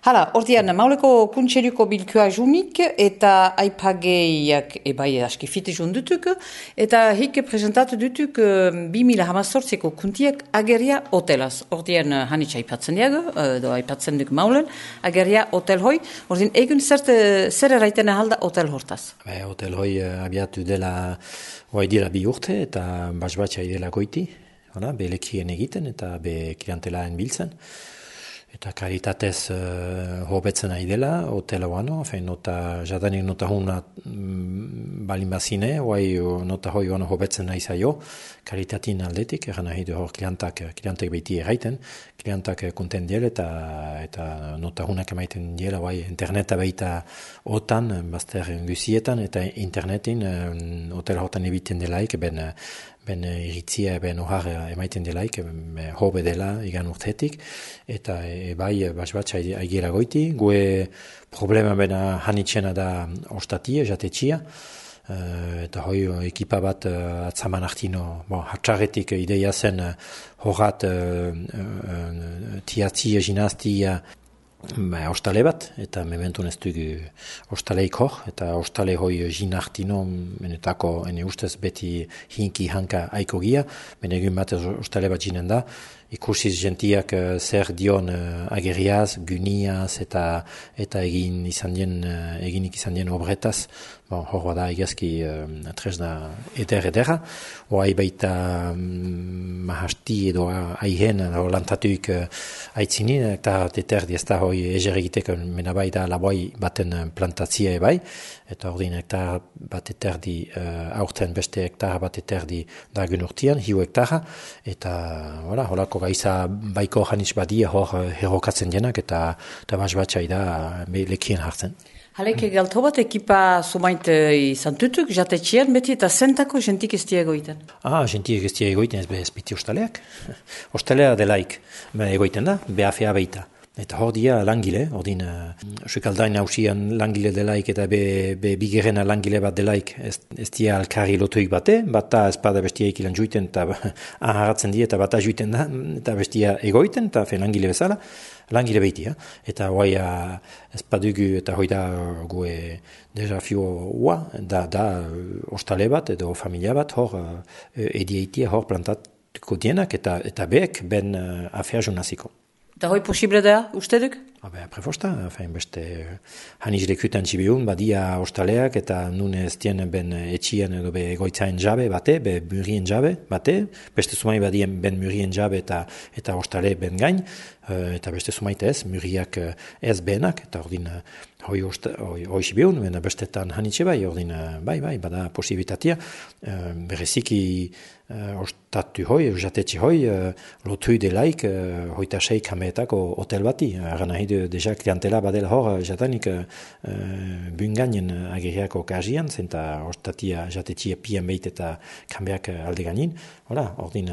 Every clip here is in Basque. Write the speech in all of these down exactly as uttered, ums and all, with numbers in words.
Hala, ordean, mauleko kuntxeriko bilkua junik eta aipageiak ebai aski fite jundutuk eta hik presentatu dutuk bi mila hamazortzeko kuntiak ageria hotelaz. Ordean, hanitza aipatzen diago, edo aipatzen duk maulen, ageria hotel hoi. Ordean, egun zert, zer eraiten ahalda hotel hortaz? Be, hotel hoi abiatu dela, oai dira bi urte eta basbatxa idela goiti, be lekien egiten eta be klientelaen biltzen. Eta karitatez uh, hobetzen nahi dela, hotela wano, fein nota, jadanik nota huna mm, balin bazine, oai nota hoi wano hobetzen nahi zaio, karitatin aldetik, eran nahi du hor klientak, klientek behiti erraiten, klientak konten diel eta, eta nota hunak emaiten diela, oai interneta behita otan, bazter guzietan, eta internetin um, hotela hortan ebiten delaik, ben ben iritzia, ben ohar emaiten delaik, hobe dela igan urtetik, eta e, bai, basbatxa aigira goiti, gue problema bena hanitxena da ostatia, jatetxia, e, eta hoi ekipa bat uh, atzaman artino, bon, hatxarretik ideia zen uh, horat uh, uh, tiatzia, ginaztia, Ba, ostale bat, eta mementun ez dugu ostaleik hor, eta ostale hoi jinartino, menetako, ene ustez beti hinki hanka aiko gia, men egun bat ostale bat jinen da, ikusiz gentiak uh, zer dion uh, ageriaz, guniaz, eta eta egin izan dien, uh, eginik izan dien obretaz, bon, hor da egazki uh, tresna eder edera, oai baita um, mahasti edo aihen, edo lantatuik uh, aitzinin, eta teterdi ez da hoi ezer egiteko menabai da laboi baten plantatzia ebai, eta ordin hektar bat eterdi uh, aurten beste hektar bat eterdi dagun urtian, hiu hektara, eta hola, holako gaiza baiko janitz badia hor uh, herrokatzen jenak, eta, eta basbatxai da uh, lekien hartzen. Halek galto bat ekipa sumait izan tutuk, jatetxian beti eta zentako jentik ez egoiten? Ah, jentik ez egoiten ez bez biti ostaleak. Ostalea delaik egoiten da, behafea behita. Eta hor dia langile, ordin uh, sukaldain hausian langile delaik eta be, be bigerena langile bat delaik ez, ez dia alkarri lotuik bate, bata espada bestia ikilan juiten eta aharatzen die eta bata juiten da, eta bestia egoiten eta fe langile bezala, langile behitia. Eta hoai uh, espadugu eta hoi da gue deja fio ua, da, da ostale bat edo familia bat hor uh, edieitia hor plantatuko dienak eta, eta beek ben uh, afea junaziko. Eta hoi posible da, uste duk? Habe, prefosta, fein beste haniz lekutan txibiun, badia ostaleak eta nun ez dien ben etxian edo be egoitzaen jabe bate, be murien jabe bate, beste sumai badien ben murien jabe eta eta ostale ben gain, eta beste sumaite ez, muriak ez benak, eta ordin hoi hoi txibiun, bena bestetan hanitxe bai, ordin bai, bai, bada posibilitatea, bereziki ostatu hoi, jatetxe hoi, lotu delaik, hoita seik hameetako hotel bati, aran nahi du deja klientela badela hor, jatanik uh, bunganen ageriako kazian, zenta ostatia jatetxia pian behit eta kanbeak alde ganin, hola, ordin,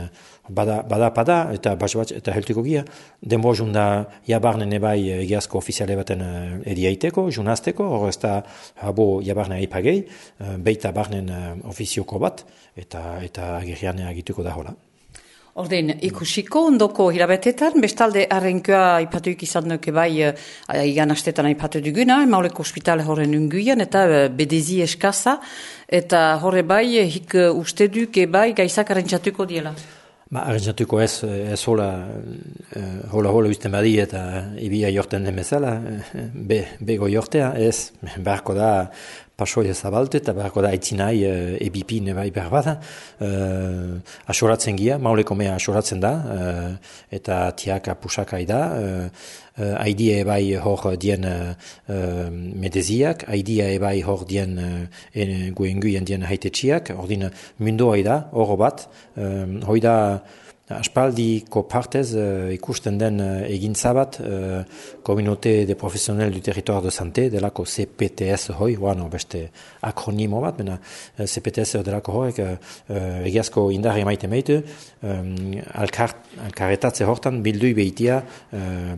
bada, bada, bada, eta basbatx, eta heltuko gia, denbo junda jabarnen ebai egiazko ofiziale baten uh, ediaiteko, junazteko, hor ez da, habo jabarne aipagei, uh, beita barnen uh, ofizioko bat, eta, eta agerian agituko da hola. Ordein, ikusiko ondoko hirabetetan, bestalde arrenkoa ipatuik izan nuke bai, uh, igan astetan aipatu duguna, mauleko ospitale horren unguian, eta uh, bedezi eskaza, eta horre bai, hik uh, uste duke bai, gaizak arrentzatuko diela. Ba, arrentzatuko ez, ez hola, uh, hola hola usten badi eta ibia jorten den bezala, be, bego jortea, ez, beharko da, pasoia zabalte eta beharko da aitzinai uh, ebipin bai behar bada. Uh, asoratzen gia, mauleko mea asoratzen da, uh, eta tiaka pusakai da. Uh, uh, Aidia ebai hor dien uh, medeziak, aidia ebai hor dien uh, guenguien dien haitetxiak, ordin mundoa da, horo bat, um, hoi da aspaldiko partez uh, ikusten den uh, egintza bat uh, Communauté de Professionnels du Territoire de Santé delako C P T S hoi, bueno, beste akronimo bat, bena uh, C P T S delako horrek uh, uh, egiazko indarri maite meitu, um, alkar, alkaretatze hortan bildui behitia uh,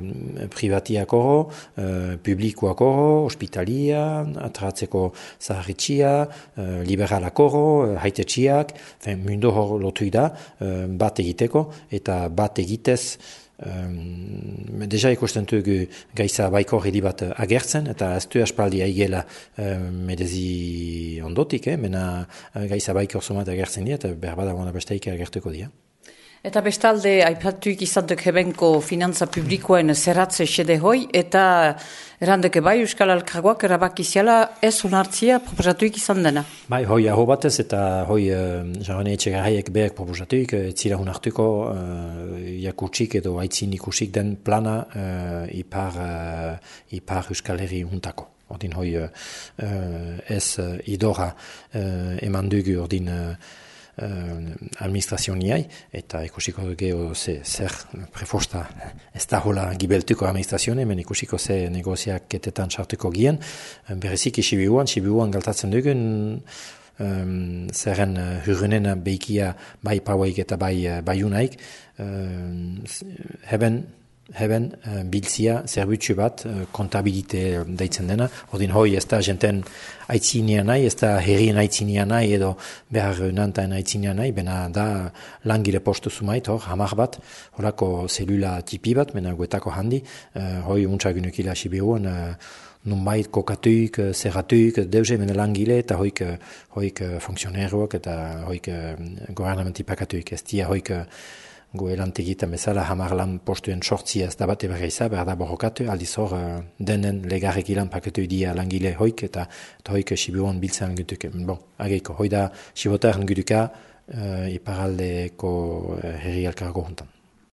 privatiak oro, uh, publikoak oro, hospitalia, atratzeko zaharritxia, uh, liberalak oro, uh, haitetxiak, mundo hor lotu da, uh, bat egiteko, eta bat egitez Um, deja ikusten dugu Gaitza Baikor hiri bat agertzen, eta ez du aspaldi aigela um, medezi ondotik, eh? Mena Gaitza Baikor somat agertzen dira, eta behar bada besteik agertuko dira. Eta bestalde, aipatuik izantek hebenko finantza publikoen zerratze xede hoi, eta erandeke bai Euskal Elkargoak erabakiziala ez onartzia proposatuik izan dena. Bai, hoi aho batez, eta hoi uh, jarrane etxegarraiek behar proposatuik, ez zira honartuko uh, jakutsik edo aitzin ikusik den plana uh, ipar, uh, ipar Euskal Herri juntako. Ordin hoi uh, ez uh, idora uh, eman dugu ordin uh, Uh, administrazioniai, eta ikusiko dugu zer prefosta ez da hola gibeltuko administrazione, men ikusiko ze negoziaketetan sartuko gien, berezik isibiuan, isibiuan galtatzen dugun um, zerren uh, hurrunen beikia bai pauaik eta bai uh, baiunaik, uh, heben Heben, uh, biltzia, zerbutsu bat, uh, kontabilite deitzen dena. Ordin hoi ez da jenten aitzinia nahi, ez da herrien aitzinia nahi, edo behar nantain aitzinia nahi, bena da langile postu zumait, hor, hamar bat, horako zelula tipi bat, bena guetako handi, uh, hoi untsagunukila sibiruan, uh, nunbait kokatuik, zerratuik, deuze mena langile, eta hoik, hoik funksioneruak, eta hoik uh, gobernamenti pakatuik, ez dia hoik gu elantegitan bezala hamar lan postuen sortzia ez da bat eberreiza, behar da borrokatu, aldiz hor denen legarrek ilan pakatu idia langile hoik, eta, eta hoik sibiruan biltzen gutuk. Bon, ageiko, hoi da sibotaren gutuka uh, iparaldeko uh, herri elkargo juntan.